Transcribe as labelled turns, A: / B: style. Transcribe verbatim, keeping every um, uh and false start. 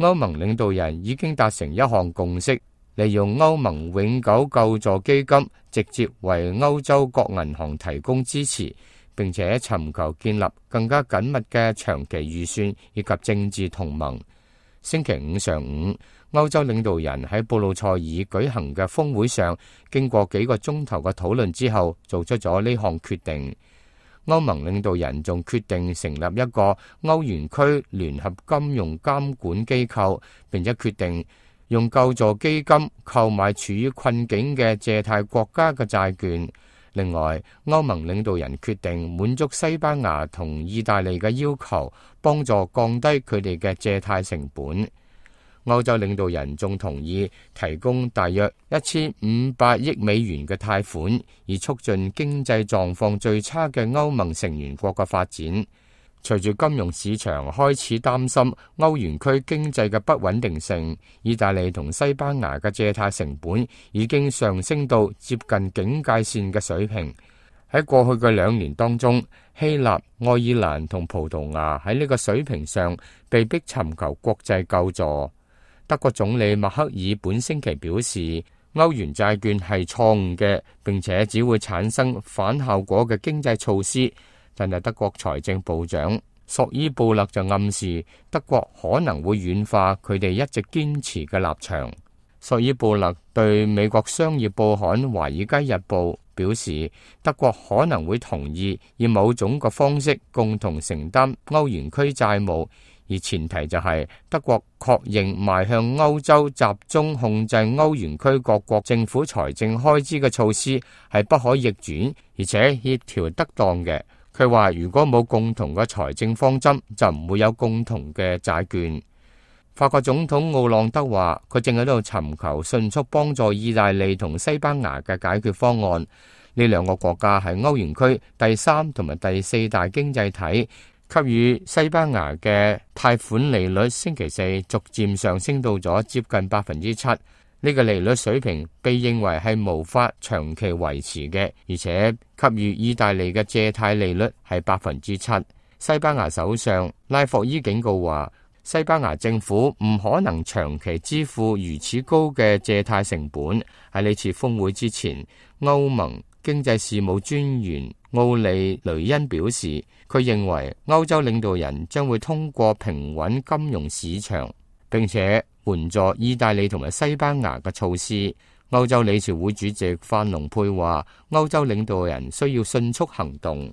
A: 歐盟領導人已經達成一項共識，利用歐盟永久救助基金直接為歐洲各銀行提供支持，並且尋求建立更加緊密嘅長期預算以及政治同盟。星期五上午，歐洲領導人喺布魯塞爾舉行嘅峰會上，經過幾個鐘頭嘅討論之後，做出咗呢項決定。歐盟領導人仲決定成立一個歐元區聯合金融監管機構，並且決定用救助基金購買處於困境嘅借貸國家嘅債券。另外，歐盟領導人決定滿足西班牙同意大利嘅要求，幫助降低佢哋嘅借貸成本。歐洲領導人仲同意提供大約一千五百億美元嘅貸款，以促進經濟狀況最差嘅歐盟成員國嘅發展。隨住金融市場開始擔心歐元區經濟嘅不穩定性，意大利同西班牙嘅借貸成本已經上升到接近警戒線嘅水平。喺過去嘅兩年當中，希臘、愛爾蘭同葡萄牙喺呢個水平上被迫尋求國際救助。德國總理默克爾本星期表示，歐元債券係錯誤嘅，並且只會產生反效果嘅經濟措施。但係德國財政部長索伊布勒就暗示，德國可能會軟化佢哋一直堅持嘅立場。索伊布勒對美國商業報刊《華爾街日報》表示，德國可能會同意以某種嘅方式共同承擔歐元區債務。而前提就係德國確認邁向歐洲集中控制歐元區各國政府財政開支嘅措施係不可逆轉，而且協調得當嘅。佢話如果冇共同嘅財政方針，就唔會有共同嘅債券。法國總統奧朗德話，佢正喺度尋求迅速幫助意大利同西班牙嘅解決方案。呢兩個國家係歐元區第三同埋第四大經濟體。給予西班牙嘅貸款利率星期四逐漸上升到咗接近百分之七，呢個利率水平被認為係無法長期維持嘅，而且給予意大利嘅借貸利率係百分之七。西班牙首相拉霍伊警告話，西班牙政府唔可能長期支付如此高嘅借貸成本。喺呢次峰會之前，歐盟經濟事務專員奧利雷恩表示，佢認為歐洲領導人將會通過平穩金融市場，並且援助意大利同埋西班牙嘅措施。歐洲理事會主席范龍佩話，歐洲領導人需要迅速行動。